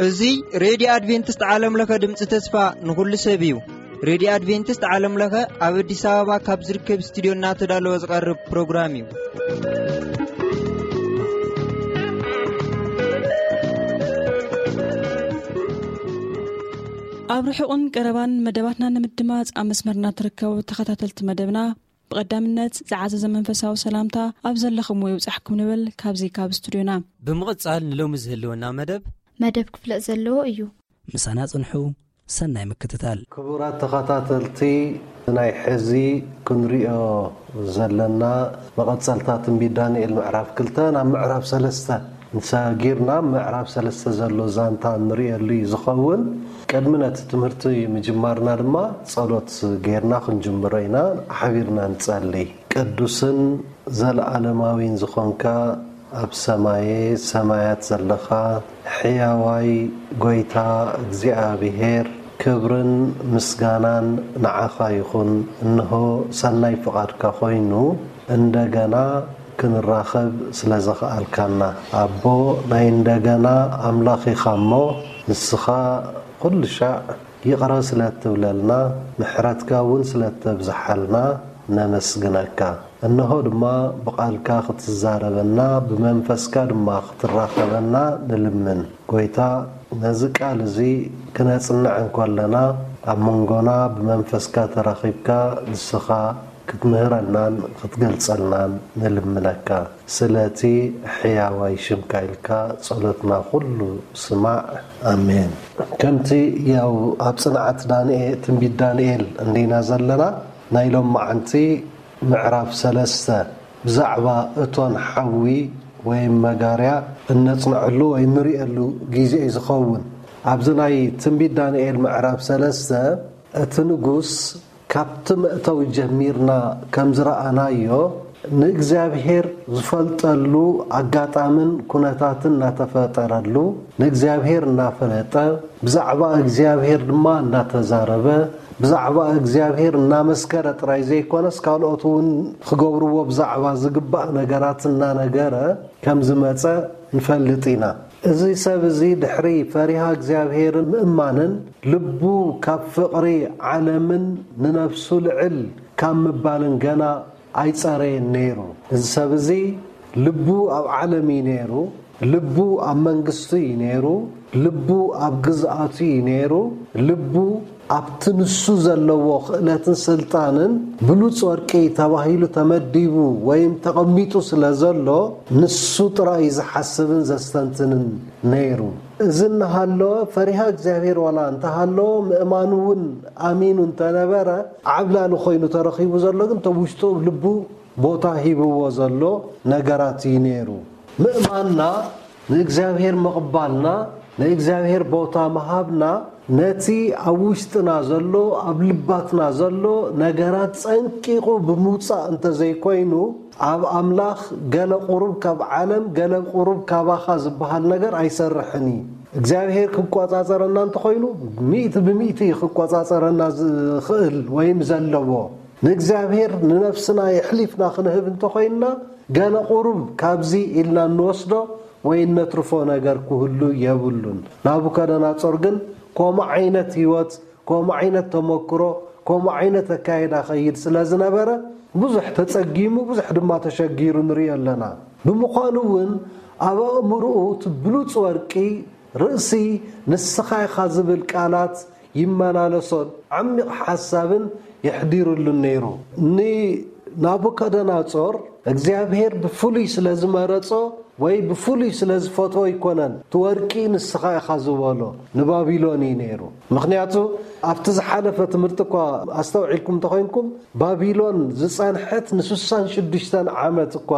እዚ ሬድዮ ኣድቬንቲስት ዓለም ለኸ ድምፂ ተስፋ ንኹሉ ሰብ እዩ። ሬድዮ ኣድቬንቲስት ዓለም ለኸ ኣብ ኣዲስ ኣበባ ካብ ዝርከብ ስቱዲዮ እናተዳለወ ዝቐርብ ፕሮግራም እዩ። ኣብ ርሑቕን ቀረባን መደባትና ንምድማፅ ኣብ መስመርና ትርከቡ ተኸታተልቲ መደብና፣ ብቐዳምነት ዝዓዘዘ መንፈሳዊ ሰላምታ ኣብ ዘለኹምዎ ይብጻሕኩም ንብል ካብዚ ካብ ስቱዲዮና። ብምቕጻል ንሎሚ ዝህልወና መደብ መደብ ክፍለጥ ዘለዎ እዩ። ምሳና ጽንሑ፣ ሰናይ ምክትታል። ክቡራት ተኸታተልቲ፣ ናይ ሕዚ ክንሪኦ ዘለና መቐጸልታ ትንቢት ዳንኤል ምዕራፍ ክልተ ናብ ምዕራፍ ሰለስተ ንሰጊርና ምዕራፍ ሰለስተ ዘሎ ዛንታ ንሪእየሉ እዩ ዝኸውን። ቅድሚ ነቲ ትምህርቲ ምጅማርና ድማ ጸሎት ጌርና ክንጅምሮ ኢና። ሓቢርና ንጸሊ። ቅዱስን ዘለዓለማዊን ዝኾንካ ኣብ ሰማየ ሰማያት ዘለኻ ሕያዋይ ጐይታ እግዚኣብሔር፣ ክብርን ምስጋናን ንዓኻ ይኹን። እንሆ ሰናይ ፍቓድካ ኮይኑ እንደገና ክንራኸብ ስለ ዘኽኣልካና። ኣቦ ናይ እንደገና ኣምላኽ ኢኻ እሞ፣ ንስኻ ኩሉ ሻዕ ይቕረ ስለ እትብለልና፣ ምሕረትካ እውን ስለ እተብዝሓልና ነመስግነካ። እንሆ ድማ ብቓልካ ክትዛረበና፣ ብመንፈስካ ድማ ክትራኸበና ንልምን። ጐይታ፣ ነዚ ቃል እዚ ክነጽንዕ እንከለና፣ ኣብ መንጎና ብመንፈስካ ተራኺብካ ንስኻ ክትምህረናን ክትገልጸልናን ንልምነካ። ስለቲ ሕያዋይ ሽምካ ኢልካ ጸሎትና ኩሉ ስማዕ። ኣሜን። ከምቲ ያው ኣብ ጽንዓት ዳንኤ-፣ ትንቢት ዳንኤል እንዲና ዘለና፣ ናይ ሎማዓንቲ ምዕራፍ ሰለስተ ብዛዕባ እቶን ሓዊ ወይ መጋርያ እነጽንዐሉ ወይ እንርእየሉ ግዜ እዩ ዝኸውን። ኣብዚ ናይ ትንቢት ዳንኤል ምዕራፍ ሰለስተ፣ እቲ ንጉስ ካብቲ መእተዊ ጀሚርና ከም ዝረኣናዮ፣ ንእግዚኣብሔር ዝፈልጠሉ ኣጋጣምን ኩነታትን እናተፈጠረሉ፣ ንእግዚኣብሔር እናፈለጠ፣ ብዛዕባ እግዚኣብሔር ድማ እናተዛረበ፣ ብዛዕባ እግዚኣብሔር እናመስከረ ጥራይ ዘይኮነስ፣ ካልኦት እውን ክገብርዎ ብዛዕባ ዝግባእ ነገራት እናነገረ ከም ዝመጸ ንፈልጥ ኢና። እዚ ሰብ እዚ ድሕሪ ፈሪሃ እግዚኣብሔርን ምእማንን፣ ልቡ ካብ ፍቕሪ ዓለምን ንነፍሱ ልዕል ካብ ምባልን ገና ኣይጸረየን ነይሩ። እዚ ሰብ እዚ ልቡ ኣብ ዓለም እዩ ነይሩ፣ ልቡ ኣብ መንግስቱ እዩ ነይሩ፣ ልቡ ኣብ ግዝኣቱ እዩ ነይሩ፣ ልቡ ኣብቲ ንሱ ዘለዎ ክእለትን ስልጣንን ብሉጽ ወርቂ ተባሂሉ ተመዲቡ ወይም ተቐሚጡ ስለ ዘሎ፣ ንሱ ጥራይ እዩ ዝሓስብን ዘስተንትንን ነይሩ። እዚ እናሃለወ፣ ፈሪሃ እግዚኣብሔር ዋላ እንተሃለወ፣ ምእማኑ እውን ኣሚኑ እንተነበረ፣ ዓብላሊ ኮይኑ ተረኺቡ ዘሎ ግን፣ እቶም ውሽጡ ልቡ ቦታ ሂብዎ ዘሎ ነገራት እዩ ነይሩ። ምእማንና፣ ንእግዚኣብሔር ምቕባልና፣ ንእግዚኣብሔር ቦታ ምሃብና፣ ነቲ ኣብ ውሽጥና ዘሎ፣ ኣብ ልባትና ዘሎ ነገራት ጸንቂቑ ብምውጻእ እንተዘይኮይኑ፣ ኣብ ኣምላኽ ገለ ቁሩብ ካብ ዓለም፣ ገለ ቁሩብ ካባኻ ዝበሃል ነገር ኣይሰርሕን እዩ። እግዚኣብሔር ክቆጻጸረና እንተኾይኑ፣ ሚእቲ ብሚእቲ እዩ ክቆጻጸረና ዝኽእል ወይም ዘለዎ። ንእግዚኣብሔር ንነፍስና የሕሊፍና ክንህብ እንተኾይንና፣ ገለ ቁሩብ ካብዚ ኢልና እንወስዶ ወይ እነትርፎ ነገር ክህሉ የብሉን። ናቡከደነጾር ግን ከምኡ ዓይነት ህይወት፣ ከምኡ ዓይነት ተመክሮ፣ ከምኡ ዓይነት ኣካይዳ ኸይድ ስለ ዝነበረ፣ ብዙሕ ተጸጊሙ፣ ብዙሕ ድማ ተሸጊሩ ንርእዮ ኣለና። ብምዃኑ እውን፣ ኣብ ኣእምሮኡ እቲ ብሉጽ ወርቂ ርእሲ ንስኻ ኢኻ ዝብል ቃላት ይመላለሶን ዓሚቕ ሓሳብን የሕዲሩሉን ነይሩ። ንናቡከደነጾር እግዚኣብሔር ብፍሉይ ስለ ዝመረጾ ወይ ብፍሉይ ስለ ዝፈትዎ ኣይኮነን፣ እቲ ወርቂ ንስኻ ኢኻ ዝበሎ ንባቢሎን እዩ ነይሩ። ምኽንያቱ ኣብቲ ዝሓለፈ ትምህርቲ እኳ ኣስተውዒልኩም እንተኾይንኩም፣ ባቢሎን ዝጸንሐት ንስሳን ሽዱሽተን ዓመት እኳ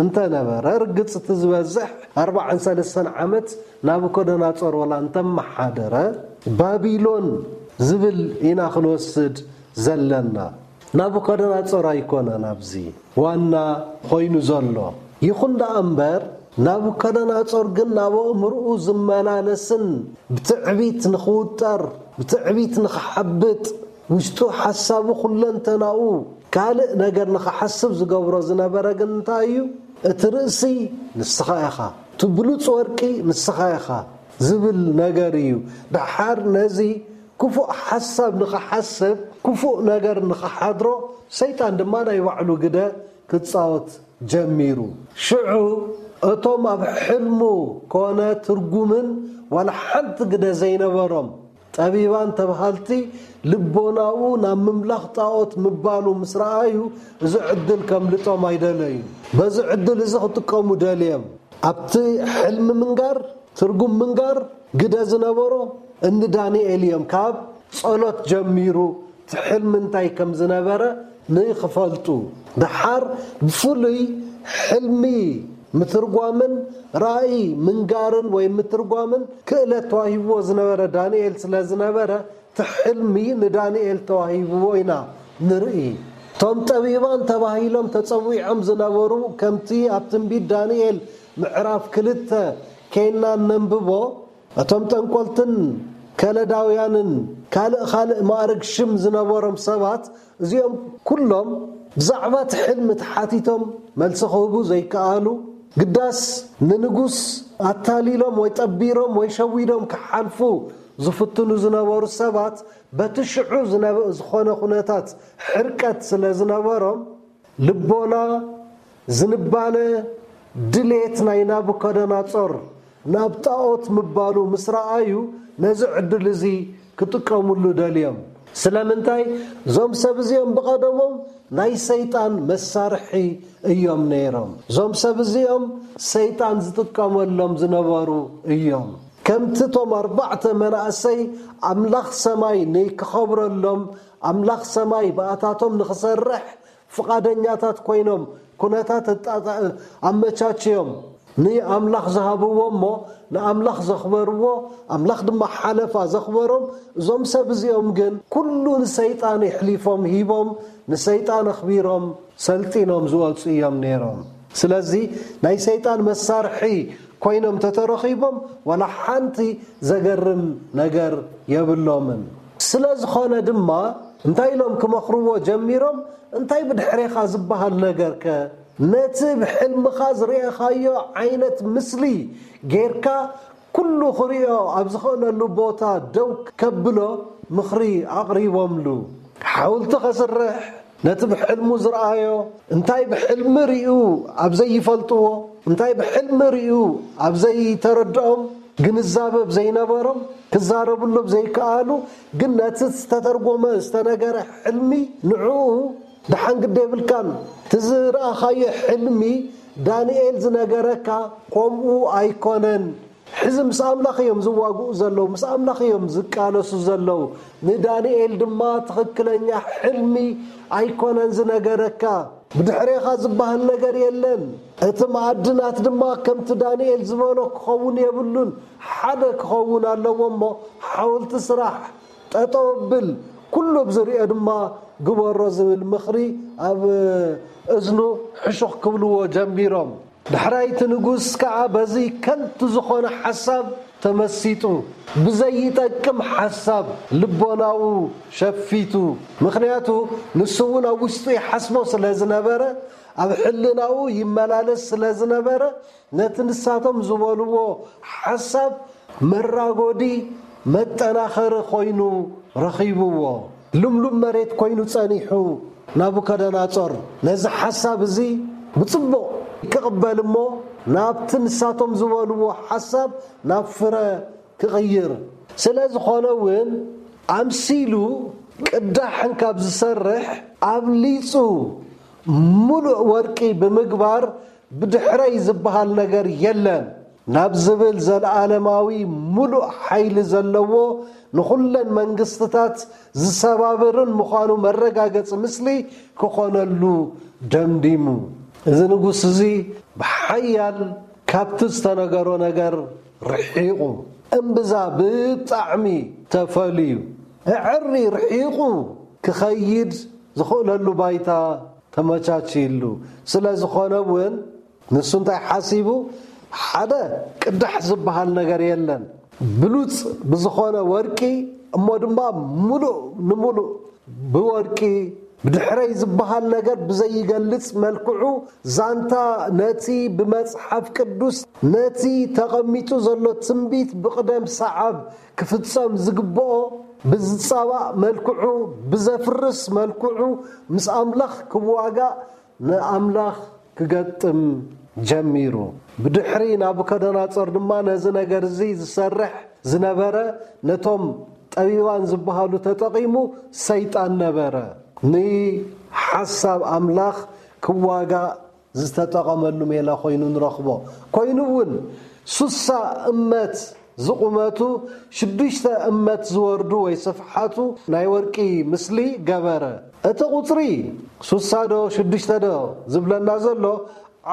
እንተነበረ፣ ርግጽ እቲ ዝበዝሕ ኣርባዓን ሰለስተን ዓመት ናቡከደነጾር ወላ እንተመሓደረ፣ ባቢሎን ዝብል ኢና ክንወስድ ዘለና። ናቡከደነጾር ኣይኮነን ኣብዚ ዋና ኮይኑ ዘሎ። ይኹን ደኣ እምበር፣ ናቡከደነጾር ግን ናብ ኣእምርኡ ዝመላለስን ብትዕቢት ንኽውጠር፣ ብትዕቢት ንኽሓብጥ፣ ውሽጡ ሓሳቡ ኩለንተናኡ ካልእ ነገር ንኽሓስብ ዝገብሮ ዝነበረ ግን እንታይ እዩ? እቲ ርእሲ ንስኻ ኢኻ፣ እቲ ብሉጽ ወርቂ ንስኻ ኢኻ ዝብል ነገር እዩ። ደሓር ነዚ ክፉእ ሓሳብ ንኽሓስብ፣ ክፉእ ነገር ንኽሓድሮ፣ ሰይጣን ድማ ናይ ባዕሉ ግደ ክጻወት ጀሚሩ። ሽዑ እቶም ኣብ ሕልሙ ኮነ ትርጉምን ዋላ ሓንቲ ግደ ዘይነበሮም ጠቢባን ተባሃልቲ፣ ልቦናኡ ናብ ምምላኽ ጣዖት ምባሉ ምስ ረኣዩ፣ እዚ ዕድል ከምልጦም ኣይደለዩ። በዚ ዕድል እዚ ክጥቀሙ ደልዮም። ኣብቲ ሕልሚ ምንጋር፣ ትርጉም ምንጋር ግደ ዝነበሮ እኒ ዳንኤል እዮም። ካብ ጸሎት ጀሚሩ እቲ ሕልሚ እንታይ ከም ዝነበረ ንክፈልጡ። ደሓር ብፍሉይ ሕልሚ ምትርጓምን ራእይ ምንጋርን ወይ ምትርጓምን ክእለት ተዋሂብዎ ዝነበረ ዳንኤል ስለ ዝነበረ፣ እቲ ሕልሚ ንዳንኤል ተዋሂብዎ ኢና ንርኢ። እቶም ጠቢባን ተባሂሎም ተጸዊዖም ዝነበሩ፣ ከምቲ ኣብ ትንቢት ዳንኤል ምዕራፍ ክልተ ኬና እነንብቦ፣ እቶም ጠንቆልትን ከለዳውያንን ካልእ ካልእ ማእርግ ሽም ዝነበሮም ሰባት፣ እዚኦም ኩሎም ብዛዕባ እቲ ሕልሚ ተሓቲቶም መልሲ ክህቡ ዘይከኣሉ፣ ግዳስ ንንጉስ ኣታሊሎም ወይ ጠቢሮም ወይ ሸዊዶም ክሓልፉ ዝፍትኑ ዝነበሩ ሰባት፣ በቲ ሽዑ ዝነበ-፣ ዝኾነ ኩነታት ሕርቀት ስለ ዝነበሮም፣ ልቦና፣ ዝንባለ፣ ድሌት ናይ ናቡከደነጾር ናብ ጣዖት ምባሉ ምስ ረኣዩ፣ ነዚ ዕድል እዚ ክጥቀሙሉ ደልዮም። ስለምንታይ? እዞም ሰብ እዚኦም ብቐደሞም ናይ ሰይጣን መሳርሒ እዮም ነይሮም። እዞም ሰብ እዚኦም ሰይጣን ዝጥቀመሎም ዝነበሩ እዮም። ከምቲ እቶም ኣርባዕተ መናእሰይ ኣምላኽ ሰማይ ንክኸብረሎም፣ ኣምላኽ ሰማይ ብኣታቶም ንኽሰርሕ ፍቓደኛታት ኮይኖም፣ ኩነታት ኣጣጣ-፣ ኣመቻችዮም ንኣምላኽ ዝሃብዎ እሞ ንኣምላኽ ዘኽበርዎ፣ ኣምላኽ ድማ ሓለፋ ዘኽበሮም፣ እዞም ሰብ እዚኦም ግን ኩሉ ንሰይጣን የሕሊፎም ሂቦም፣ ንሰይጣን ኣኽቢሮም ሰልጢኖም ዝወጹ እዮም ነይሮም። ስለዚ ናይ ሰይጣን መሳርሒ ኮይኖም ተተረኺቦም ዋላ ሓንቲ ዘገርም ነገር የብሎምን። ስለ ዝኾነ ድማ እንታይ ኢሎም ክመኽርዎ ጀሚሮም? እንታይ ብድሕሬኻ ዝበሃል ነገርከ? ነቲ ብሕልምኻ ዝርኤኻዮ ዓይነት ምስሊ ጌርካ ኩሉ ክሪኦ ኣብ ዝኽእለሉ ቦታ ደው ከብሎ ምኽሪ ኣቕሪቦምሉ። ሓውልቲ ከስርሕ፣ ነቲ ብሕልሙ ዝረኣዮ፣ እንታይ ብሕልሚ ርእዩ ኣብ ዘይፈልጥዎ፣ እንታይ ብሕልሚ ርእዩ ኣብ ዘይተረድኦም፣ ግንዛበ ኣብ ዘይነበሮም፣ ክዛረብሉ ኣብ ዘይከኣሉ፣ ግን ነቲ ዝተተርጎመ፣ ዝተነገረ ሕልሚ ንዕኡ ደሓን ግዲ የብልካን። እቲ ዝረኣኻዮ ሕልሚ ዳንኤል ዝነገረካ ከምኡ ኣይኮነን። ሕዚ ምስ ኣምላኽ እዮም ዝዋግኡ ዘለዉ፣ ምስ ኣምላኽ እዮም ዝቃለሱ ዘለዉ። ንዳንኤል ድማ ትኽክለኛ ሕልሚ ኣይኮነን ዝነገረካ። ብድሕሬኻ ዝበሃል ነገር የለን። እቲ ማዕድናት ድማ ከምቲ ዳንኤል ዝበሎ ክኸውን የብሉን። ሓደ ክኸውን ኣለዎ እሞ ሓወልቲ ስራሕ፣ ጠጠው ብል፣ ኩሉ ብዝሪኦ ድማ ግበሮ ዝብል ምኽሪ ኣብ እዝኑ ሕሹኽ ክብልዎ ጀሚሮም። ዳሕራይ እቲ ንጉስ ከኣ በዚ ከንቱ ዝኾነ ሓሳብ ተመሲጡ፣ ብዘይጠቅም ሓሳብ ልቦናኡ ሸፊቱ። ምኽንያቱ ንሱ እውን ኣብ ውሽጡ ይሓስቦ ስለ ዝነበረ፣ ኣብ ሕልናኡ ይመላለስ ስለ ዝነበረ፣ ነቲ ንሳቶም ዝበልዎ ሓሳብ መራጎዲ መጠናኸሪ ኮይኑ ረኺብዎ። ልምሉም መሬት ኮይኑ ጸኒሑ ናቡከደነጾር ነዚ ሓሳብ እዚ ብጽቡቕ ክቕበል እሞ ናብቲ ንሳቶም ዝበልዎ ሓሳብ ናብ ፍረ ክቕይር። ስለ ዝኾነ እውን ኣምሲሉ ቅዳሕ እንካብ ዝሰርሕ ኣብሊጹ ምሉእ ወርቂ ብምግባር ብድሕረይ ዝበሃል ነገር የለን ናብ ዝብል ዘለዓለማዊ ምሉእ ሓይሊ ዘለዎ ንኹለን መንግስትታት ዝሰባብርን ምዃኑ መረጋገጺ ምስሊ ክኾነሉ ደምዲሙ። እዚ ንጉስ እዚ ብሓያል ካብቲ ዝተነገሮ ነገር ርሒቑ፣ እምብዛ ብጣዕሚ ተፈልዩ፣ ኣዐሪ ርሒቑ ክኸይድ ዝኽእለሉ ባይታ ተመቻችይሉ። ስለ ዝኾነ እውን ንሱ እንታይ ሓሲቡ? ሓደ ቅዳሕ ዝበሃል ነገር የለን። ብሉጽ ብዝኾነ ወርቂ፣ እሞ ድማ ምሉእ ንምሉእ ብወርቂ ብድሕረይ ዝበሃል ነገር ብዘይገልጽ መልክዑ፣ ዛንታ ነቲ ብመጽሓፍ ቅዱስ፣ ነቲ ተቐሚጡ ዘሎ ትንቢት ብቕደም ሰዓብ ክፍጸም ዝግብኦ ብዝጻባእ መልክዑ፣ ብዘፍርስ መልክዑ ምስ ኣምላኽ ክዋጋእ ንኣምላኽ ክገጥም ጀሚሩ። ብድሕሪ ናቡከደነጾር ድማ ነዚ ነገር እዚ ዝሰርሕ ዝነበረ፣ ነቶም ጠቢባን ዝበሃሉ ተጠቒሙ፣ ሰይጣን ነበረ። ንሓሳብ ኣምላኽ ክዋጋእ ዝተጠቐመሉ ሜላ ኮይኑ ንረኽቦ። ኮይኑ እውን ሱሳ እመት ዝቑመቱ፣ ሽዱሽተ እመት ዝወርዱ ወይ ስፍሓቱ ናይ ወርቂ ምስሊ ገበረ። እቲ ቁጽሪ ሱሳ ዶ ሽዱሽተ ዶ ዝብለና ዘሎ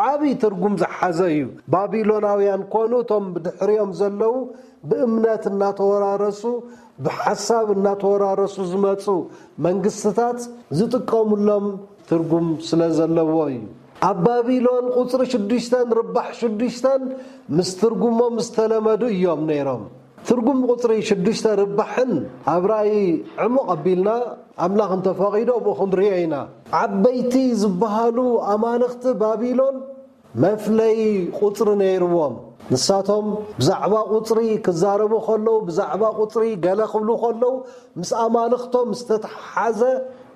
ዓቢ ትርጉም ዝሓዘ እዩ። ባቢሎናውያን ኮኑ እቶም ብድሕሪኦም ዘለዉ ብእምነት እናተወራረሱ፣ ብሓሳብ እናተወራረሱ ዝመጹ መንግስትታት ዝጥቀሙሎም ትርጉም ስለ ዘለዎ እዩ። ኣብ ባቢሎን ቁጽሪ ሽዱሽተን ርባሕ ሽዱሽተን ምስ ትርጉሞም ዝተለመዱ እዮም ነይሮም። ትርጉም ቁጽሪ ሽዱሽተ ርባሕን ኣብ ራእይ ዕሙቕ ኣቢልና ኣምላኽ እንተፈቒዶ ኣብኡ ክንሪኦ ኢና። ዓበይቲ ዝበሃሉ ኣማልኽቲ ባቢሎን መፍለዪ ቁጽሪ ነይርዎም። ንሳቶም ብዛዕባ ቁጽሪ ክዛረቡ ከለዉ፣ ብዛዕባ ቁጽሪ ገለ ክብሉ ከለዉ፣ ምስ ኣማልኽቶም ዝተተሓሓዘ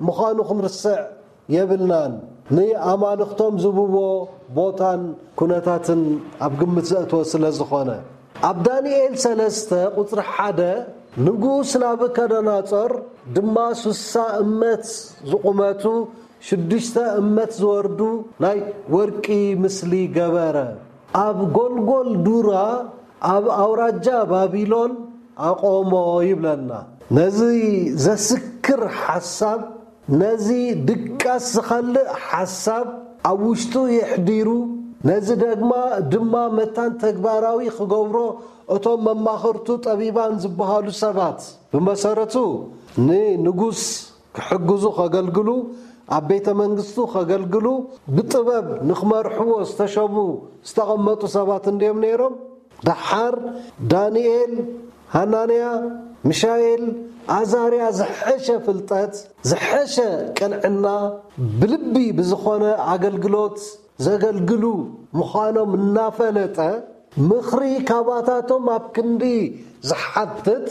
ምዃኑ ክንርስዕ የብልናን። ንኣማልኽቶም ዝብዎ ቦታን ኩነታትን ኣብ ግምት ዘእተወ ስለ ዝኾነ። ኣብ ዳንኤል ሰለስተ ቁጽሪ ሓደ፣ ንጉስ ናቡከደነጾር ድማ ሱሳ እመት ዝቑመቱ፣ ሽዱሽተ እመት ዝወርዱ ናይ ወርቂ ምስሊ ገበረ። ኣብ ጎልጎል ዱራ ኣብ ኣውራጃ ባቢሎን ኣቆሞ ይብለና። ነዚ ዘስክር ሓሳብ፣ ነዚ ድቃስ ዝኸልእ ሓሳብ ኣብ ውሽጡ የሕዲሩ፣ ነዚ ደግማ ድማ መታን ተግባራዊ ክገብሮ እቶም መማኽርቱ ጠቢባን ዝበሃሉ ሰባት ብመሰረቱ ንንጉስ ክሕግዙ ከገልግሉ፣ ኣብ ቤተ መንግስቱ ከገልግሉ፣ ብጥበብ ንክመርሕዎ ዝተሸሙ ዝተቐመጡ ሰባት እንድዮም ነይሮም። ደሓር ዳንኤል፣ ሃናንያ፣ ሚሻኤል፣ ኣዛርያ ዝሐሸ ፍልጠት፣ ዝሐሸ ቅንዕና፣ ብልቢ ብዝኾነ ኣገልግሎት ዘገልግሉ ምዃኖም እናፈለጠ፣ ምኽሪ ካባታቶም ኣብ ክንዲ ዝሓትት፣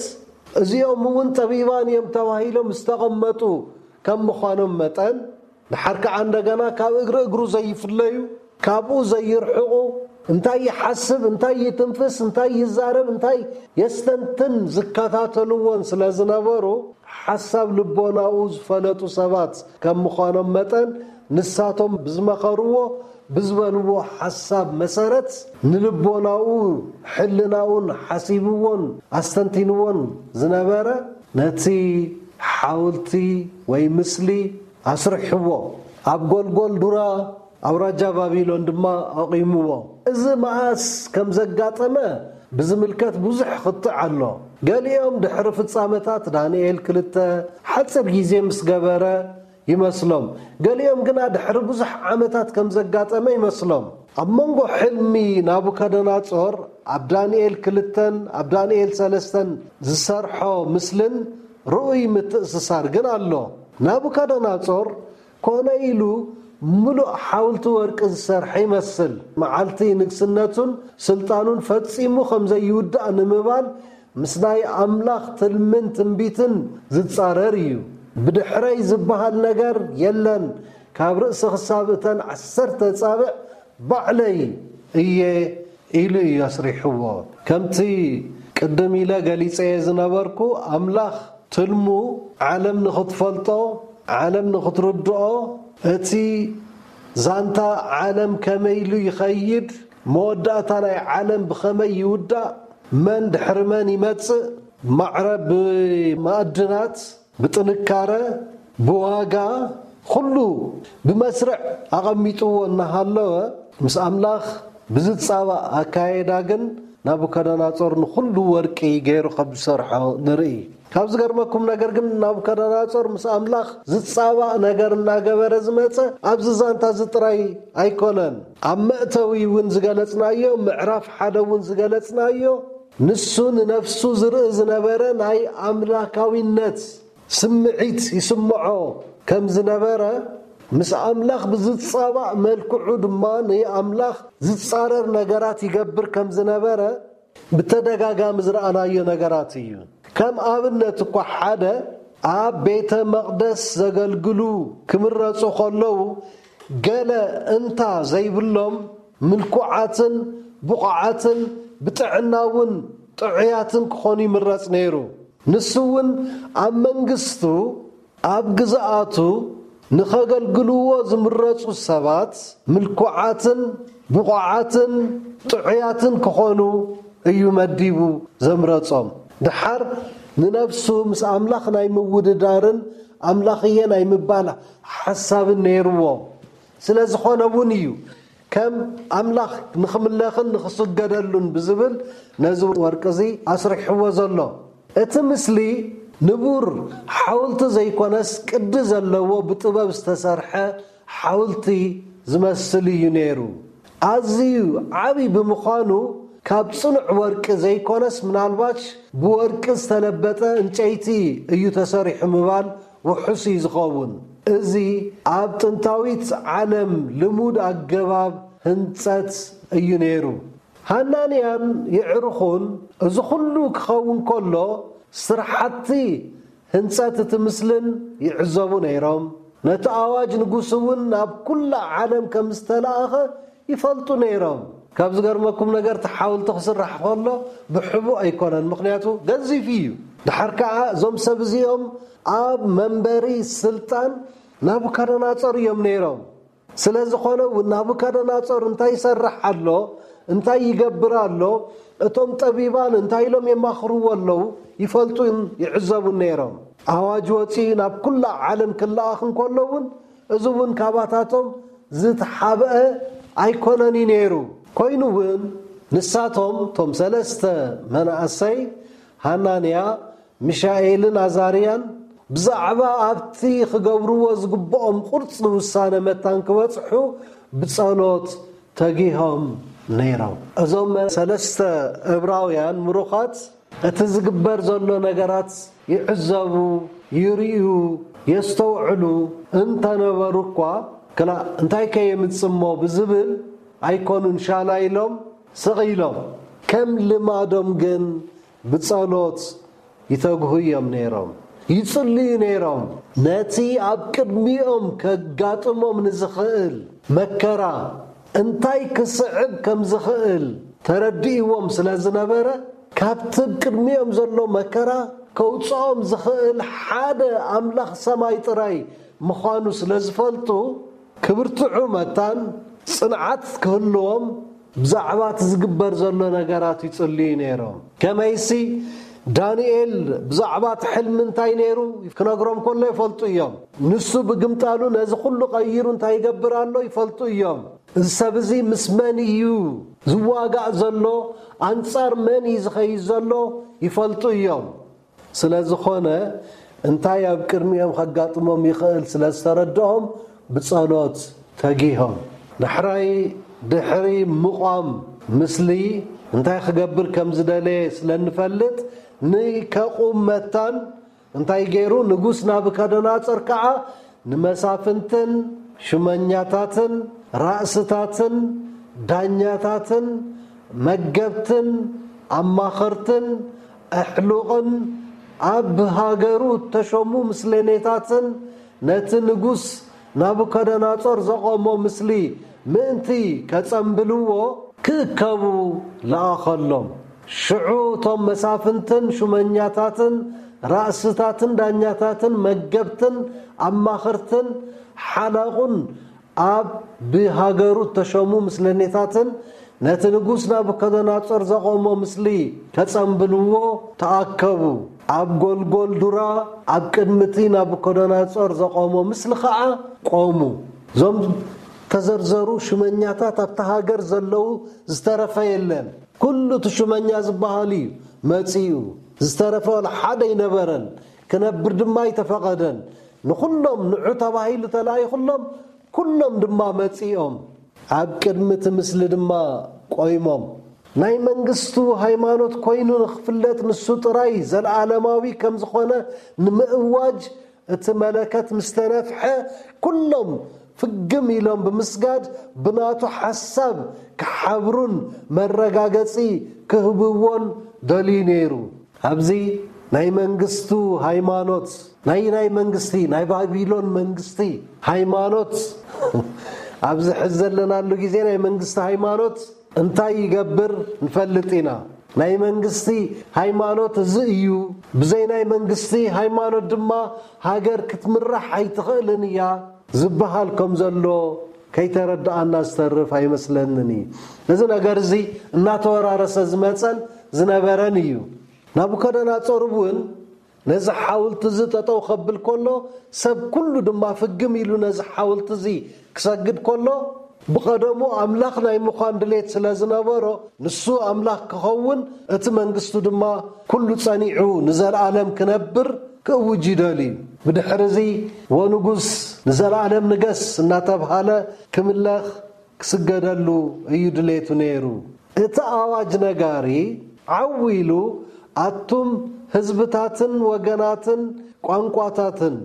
እዚኦም እውን ጠቢባን እዮም ተባሂሎም ዝተቐመጡ ከም ምዃኖም መጠን፣ ደሓር ከዓ እንደገና ካብ እግሪ እግሩ ዘይፍለዩ፣ ካብኡ ዘይርሕቑ፣ እንታይ ይሓስብ፣ እንታይ ይትንፍስ፣ እንታይ ይዛረብ፣ እንታይ የስተንትን ዝከታተልዎን ስለ ዝነበሩ፣ ሓሳብ ልቦናኡ ዝፈለጡ ሰባት ከም ምዃኖም መጠን፣ ንሳቶም ብዝመኸርዎ፣ ብዝበልዎ ሓሳብ መሰረት፣ ንልቦናኡ፣ ሕልናኡን ሓሲብዎን ኣስተንቲንዎን ዝነበረ፣ ነቲ ሓወልቲ ወይ ምስሊ ኣስሪሕዎ። ኣብ ጎልጎል ዱራ ኣውራጃ ባቢሎን ድማ ኣቑምዎ። እዚ መኣስ ከም ዘጋጠመ ብዝምልከት ብዙሕ ክትዕ ኣሎ። ገሊኦም ድሕሪ ፍጻመታት ዳንኤል ክልተ ሓጺር ግዜ ምስ ገበረ ይመስሎም። ገሊኦም ግና ድሕሪ ብዙሕ ዓመታት ከም ዘጋጠመ ይመስሎም። ኣብ መንጎ ሕልሚ ናቡከደነጾር ኣብ ዳንኤል ክልተን ኣብ ዳንኤል ሰለስተን ዝሰርሖ ምስልን ርኡይ ምትእስሳር ግን ኣሎ። ናቡከደነጾር ኮነ ኢሉ ምሉእ ሓውልቲ ወርቂ ዝሰርሐ ይመስል። መዓልቲ ንግስነቱን ስልጣኑን ፈጺሙ ከም ዘይውዳእ ንምባል ምስ ናይ ኣምላኽ ትልምን ትንቢትን ዝጻረር እዩ። ብድሕረይ ዝበሃል ነገር የለን፣ ካብ ርእሲ ክሳብ እተን ዓሰርተ ኣጻብዕ ባዕለይ እየ ኢሉ እዩ ኣስሪሕዎ። ከምቲ ቅድም ኢለ ገሊጸዮ ዝነበርኩ፣ ኣምላኽ ትልሙ ዓለም ንኽትፈልጦ፣ ዓለም ንኽትርድኦ፣ እቲ ዛንታ ዓለም ከመይ ኢሉ ይኸይድ፣ መወዳእታ ናይ ዓለም ብኸመይ ይውዳእ፣ መን ድሕሪ መን ይመጽእ፣ ማዕረ ብማዕድናት፣ ብጥንካረ፣ ብዋጋ፣ ኩሉ ብመስርዕ ኣቐሚጥዎ እናሃለወ፣ ምስ ኣምላኽ ብዝጻባእ ኣካየዳ ግን ናቡከደነጾር ንኹሉ ወርቂ ገይሩ ከም ዝሰርሖ ንርኢ። ካብ ዝገርመኩም ነገር ግን ናቡከደነጾር ምስ ኣምላኽ ዝጻባእ ነገር እናገበረ ዝመጸ ኣብዚ ዛንታ እዚ ጥራይ ኣይኮነን። ኣብ መእተዊ እውን ዝገለጽናዮ፣ ምዕራፍ ሓደ እውን ዝገለጽናዮ፣ ንሱ ንነፍሱ ዝርኢ ዝነበረ ናይ ኣምላካዊነት ስምዒት ይስምዖ ከም ዝነበረ፣ ምስ ኣምላኽ ብዝጻባእ መልክዑ ድማ ንኣምላኽ ዝጻረር ነገራት ይገብር ከም ዝነበረ ብተደጋጋሚ ዝረኣናዮ ነገራት እዩ። ከም ኣብነት እኳ ሓደ ኣብ ቤተ መቕደስ ዘገልግሉ ክምረጹ ከለዉ ገለ እንታ ዘይብሎም ምልኩዓትን ብቑዓትን ብጥዕና እውን ጥዑያትን ክኾኑ ይምረጽ ነይሩ። ንሱ እውን ኣብ መንግስቱ ኣብ ግዝኣቱ ንኸገልግልዎ ዝምረጹ ሰባት ምልኩዓትን ብቑዓትን ጥዑያትን ክኾኑ እዩ መዲቡ ዘምረጾም። ድሓር ንነፍሱ ምስ ኣምላኽ ናይ ምውድዳርን ኣምላኽየ ናይ ምባል ሓሳብን ነይርዎ። ስለ ዝኾነ እውን እዩ ከም ኣምላኽ ንኽምለኽን ንኽስገደሉን ብዝብል ነዚ ወርቂ እዚ ኣስሪሕዎ ዘሎ። እቲ ምስሊ ንቡር ሓውልቲ ዘይኮነስ ቅዲ ዘለዎ ብጥበብ ዝተሰርሐ ሓውልቲ ዝመስል እዩ ነይሩ። ኣዝዩ ዓቢ ብምዃኑ ካብ ጽኑዕ ወርቂ ዘይኮነስ ምናልባሽ ብወርቂ ዝተለበጠ ዕንጨይቲ እዩ ተሰሪሑ ምባል ውሑስ እዩ ዝኸውን። እዚ ኣብ ጥንታዊት ዓለም ልሙድ ኣገባብ ህንጸት እዩ ነይሩ። ሃናንያን የዕሩኹን እዚ ኹሉ ክኸውን ከሎ ስራሓቲ ህንጸት እቲ ምስልን ይዕዘቡ ነይሮም። ነቲ ኣዋጅ ንጉስ እውን ናብ ኩላ ዓለም ከም ዝተላእኸ ይፈልጡ ነይሮም። ካብ ዝገርመኩም ነገር እቲ ሓውልቲ ክስራሕ ከሎ ብሕቡእ ኣይኮነን፣ ምኽንያቱ ገዚፍ እዩ። ድሓር ከዓ እዞም ሰብ እዚኦም ኣብ መንበሪ ስልጣን ናቡካደናጾር እዮም ነይሮም። ስለ ዝኾነ እውን ናቡካደናጾር እንታይ ይሰርሕ ኣሎ፣ እንታይ ይገብር ኣሎ፣ እቶም ጠቢባን እንታይ ኢሎም የማኽርዎ ኣለዉ ይፈልጡን ይዕዘቡን ነይሮም። ኣዋጅ ወፂኡ ናብ ኩላ ዓለም ክለኣኽ እንከሎ እውን እዚ እውን ካባታቶም ዝተሓብአ ኣይኮነን እዩ ነይሩ። ኮይኑ እውን ንሳቶም እቶም ሰለስተ መናእሰይ ሃናንያ፣ ሚሻኤልን ኣዛርያን ብዛዕባ ኣብቲ ክገብርዎ ዝግብኦም ቁርፂ ውሳነ መታን ክበፅሑ ብጸሎት ተጊሆም ነይሮም። እዞም ሰለስተ እብራውያን ምሩኻት እቲ ዝግበር ዘሎ ነገራት ይዕዘቡ፣ ይርእዩ፣ የስተውዕሉ እንተነበሩ እኳ፣ ክላእ እንታይ ከ የምጽእ እሞ ብዝብል ኣይኮኑን ሻላ ኢሎም ስቕ ኢሎም። ከም ልማዶም ግን ብጸሎት ይተግሁ እዮም ነይሮም፣ ይጽልዩ ነይሮም። ነቲ ኣብ ቅድሚኦም ከጋጥሞም ንዝኽእል መከራ እንታይ ክስዕብ ከም ዝኽእል ተረዲእዎም ስለ ዝነበረ፣ ካብቲ ኣብ ቅድሚኦም ዘሎ መከራ ከውጽኦም ዝኽእል ሓደ ኣምላኽ ሰማይ ጥራይ ምዃኑ ስለ ዝፈልጡ፣ ክብርትዑ መታን ጽንዓት ክህልዎም ብዛዕባ እቲ ዝግበር ዘሎ ነገራት ይጽልዩ ነይሮም። ከመይሲ ዳንኤል ብዛዕባ እቲ ሕልሚ እንታይ ነይሩ ክነግሮም ከሎ ይፈልጡ እዮም። ንሱ ብግምጣሉ ነዚ ኩሉ ቀይሩ እንታይ ይገብር ኣሎ ይፈልጡ እዮም። እዚ ሰብ እዚ ምስ መን እዩ ዝዋጋእ ዘሎ፣ ኣንጻር መን እዩ ዝኸይድ ዘሎ ይፈልጡ እዮም። ስለ ዝኾነ እንታይ ኣብ ቅድሚኦም ከጋጥሞም ይኽእል ስለ ዝተረድኦም ብጸሎት ተጊሆም። ዳሕራይ ድሕሪ ምቋም ምስሊ እንታይ ክገብር ከም ዝደለየ ስለ እንፈልጥ ንከቑም መታን እንታይ ገይሩ? ንጉስ ናቡከደነጾር ከዓ ንመሳፍንትን ሹመኛታትን ራእስታትን ዳኛታትን መገብትን ኣማኸርትን ኣሕሉቕን ኣብ ሃገሩ እተሾሙ ምስሌኔታትን ነቲ ንጉስ ናቡከደነጾር ዘቖሞ ምስሊ ምእንቲ ከጸምብልዎ ክእከቡ ለኣኸሎም። ሽዑ እቶም መሳፍንትን ሹመኛታትን ራእስታትን ዳኛታትን መገብትን ኣማኸርትን ሓላቑን ኣብ ብሃገሩ እተሾሙ ምስለኔታትን ነቲ ንጉስ ናቡከደነጾር ዘቖሞ ምስሊ ከጸምብልዎ ተኣከቡ። ኣብ ጎልጎል ዱራ ኣብ ቅድሚ እቲ ናቡከደነጾር ዘቖሞ ምስሊ ኸዓ ቆሙ። እዞም ተዘርዘሩ ሹመኛታት ኣብታ ሃገር ዘለዉ ዝተረፈ የለን። ኩሉ እቲ ሹመኛ ዝበሃል እዩ መጺኡ። ዝተረፈ ዋላ ሓደ ኣይነበረን። ክነብር ድማ ኣይተፈቐደን። ንኹሎም ንዑ ተባሂሉ ተላኢኹሎም ኩሎም ድማ መጺኦም ኣብ ቅድሚ እቲ ምስሊ ድማ ቆይሞም። ናይ መንግስቱ ሃይማኖት ኮይኑ ንኽፍለጥ ንሱ ጥራይ ዘለዓለማዊ ከም ዝኾነ ንምእዋጅ እቲ መለከት ምስ ተነፍሐ፣ ኩሎም ፍግም ኢሎም ብምስጋድ ብናቱ ሓሳብ ክሓብሩን መረጋገጺ ክህብዎን ደልዩ ነይሩ። ኣብዚ ናይ መንግስቱ ሃይማኖት፣ ናይ ናይ መንግስቲ፣ ናይ ባቢሎን መንግስቲ ሃይማኖት፣ ኣብዚ ሕዚ ዘለናሉ ግዜ ናይ መንግስቲ ሃይማኖት እንታይ ይገብር ንፈልጥ ኢና። ናይ መንግስቲ ሃይማኖት እዚ እዩ፣ ብዘይ ናይ መንግስቲ ሃይማኖት ድማ ሃገር ክትምራሕ ኣይትኽእልን እያ ዝበሃል ከም ዘሎ ከይተረድኣና ዝተርፍ ኣይመስለንን እዩ። እዚ ነገር እዚ እናተወራረሰ ዝመጸን ዝነበረን እዩ። ናቡከደነጾር እውን ነዚ ሓውልቲ እዚ ጠጠው ከብል ከሎ፣ ሰብ ኩሉ ድማ ፍግም ኢሉ ነዚ ሓውልቲ እዚ ክሰግድ ከሎ፣ ብቐደሙ ኣምላኽ ናይ ምዃን ድሌት ስለ ዝነበሮ፣ ንሱ ኣምላኽ ክኸውን፣ እቲ መንግስቱ ድማ ኩሉ ጸኒዑ ንዘለኣለም ክነብር ክእውጅ ይደልዩ። ብድሕሪ እዚ፣ "ወንጉስ ንዘለኣለም ንገስ" እናተብሃለ ክምለኽ ክስገደሉ እዩ ድሌቱ ነይሩ። እቲ ኣዋጅ ነጋሪ ዓው ኢሉ፣ "ኣቱም ህዝብታትን ወገናትን ቋንቋታትን፣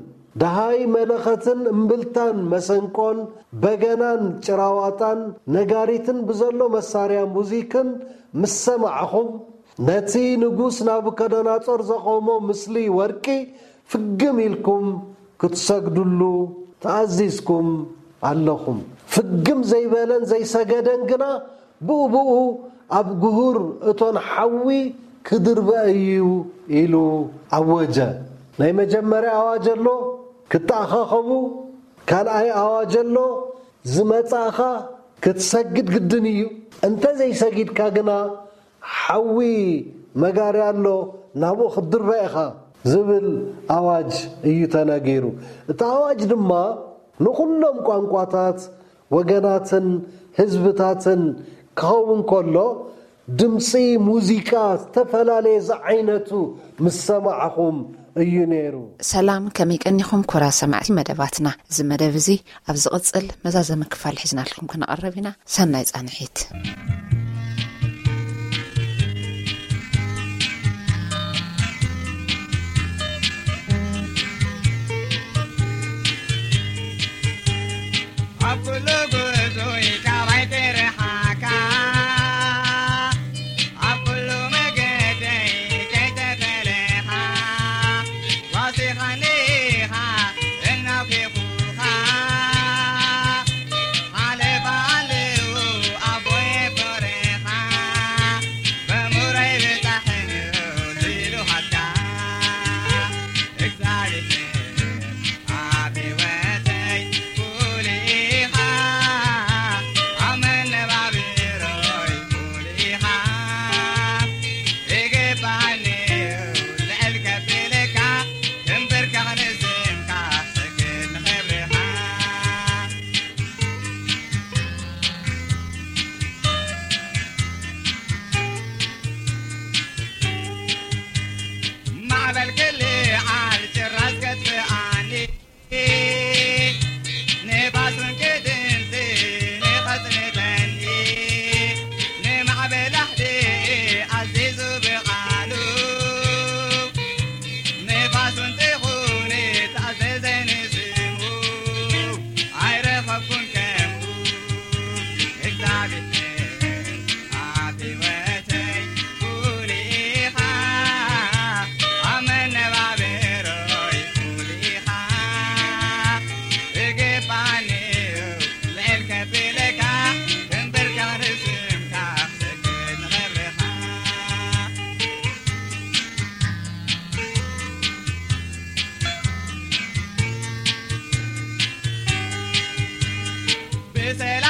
ደሃይ መለኸትን እምብልታን መሰንቆን በገናን ጭራዋጣን ነጋሪትን ብዘሎ መሳርያ ሙዚክን ምስ ሰማዕኹም፣ ነቲ ንጉስ ናቡከደነጾር ዘቖሞ ምስሊ ወርቂ ፍግም ኢልኩም ክትሰግዱሉ ተኣዚዝኩም ኣለኹም። ፍግም ዘይበለን ዘይሰገደን ግና ብኡ ብኡ ኣብ ግሁር እቶን ሓዊ ክድርበ እዩ" ኢሉ ኣወጀ። ናይ መጀመርያ ኣዋጅ ኣሎ፣ ክትኣኻኸቡ። ካልኣይ ኣዋጅ ኣሎ፣ ዝመጻእኻ ክትሰግድ ግድን እዩ። እንተ ዘይሰጊድካ ግና ሓዊ መጋርያ ኣሎ፣ ናብኡ ክትድርበ ኢኻ ዝብል ኣዋጅ እዩ ተነጊሩ። እቲ ኣዋጅ ድማ ንኹሎም ቋንቋታት፣ ወገናትን ህዝብታትን ክኸውን ከሎ፣ ድምፂ ሙዚቃ ዝተፈላለየ ዝዓይነቱ ምስ ሰማዕኹም እዩ ነይሩ። ሰላም፣ ከመይ ቀኒኹም ክቡራት ሰማዕቲ መደባትና? እዚ መደብ እዚ ኣብ ዝቕጽል መዛዘሚ ክፋል ሒዝናልኩም ክንቐርብ ኢና። ሰናይ ጻንሒት። ኣብ ኩሉ ጉዞይ ካባይ ትርሓካ፣ ኣብ ኩሉ መገደይ ከይተፈለኻ፣ ዋሲኻኒ ኢኻ እናውኪኹኻ፣ ሓለፋ ኣለዉ ኣቦይ በረኻ፣ በሙረይ ብጻሕን ሲሉ ሃታ፣ እግዚኣብሔር ኣብ ህይወተይ ኩሉ ኢኻ፣ ኣብ መነባብሮይ ኩሉ ኢኻ፣ ይግባኣኒ እዩ ልዕል ከብለካ፣ ክንብርከኽ ንስምካ፣ ክሰግድ ንኽብርኻ። ማዕበል ክልዓል ጭራስ ከጥፍኣኒ፣ ንፋስ እውን ክድምሲ ንኸጽንተኒ፣ ንማዕበል ኣሕዲኡ ኣዚዙ ብቓሉ፣ ንፋስ እውን ትኹኒ ተኣዘዘ ንስሙ፣ ኣይረኸብኩን ከምኡ እግዚኣብሔር። ኣብ ህይወተይ ኩሉ ኢኻ፣ ኣብ መነባብሮይ ኩሉ ኢኻ። ይግባኣኒ እዩ ልዕል ከብለካ፣ ክንብርከኽ ንስምካ፣ ክሰግድ ንኽብርኻ። ብሰላም